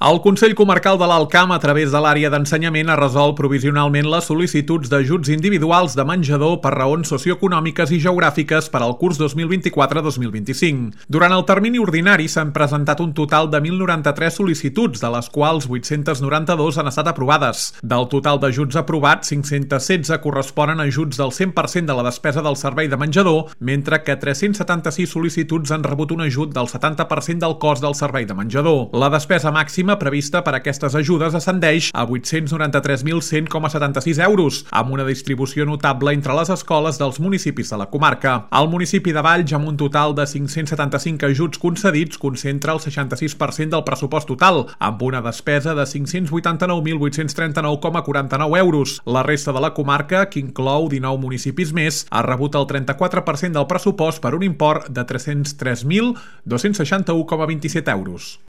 El Consell Comarcal de l'Alt Camp, a través de l'àrea d'ensenyament, ha resolt provisionalment les sol·licituds d'ajuts individuals de menjador per raons socioeconòmiques i geogràfiques per al curs 2024-2025. Durant el termini ordinari s'han presentat un total de 1.093 sol·licituds, de les quals 892 han estat aprovades. Del total d'ajuts aprovats, 516 corresponen a ajuts del 100% de la despesa del servei de menjador, mentre que 376 sol·licituds han rebut un ajut del 70% del cost del servei de menjador. La despesa màxima prevista per a aquestes ajudes ascendeix a 893.100,76 euros, amb una distribució notable entre les escoles dels municipis de la comarca. El municipi de Valls, amb un total de 575 ajuts concedits, concentra el 66% del pressupost total, amb una despesa de 589.839,49 euros. La resta de la comarca, que inclou 19 municipis més, ha rebut el 34% del pressupost per un import de 303.261,27 euros.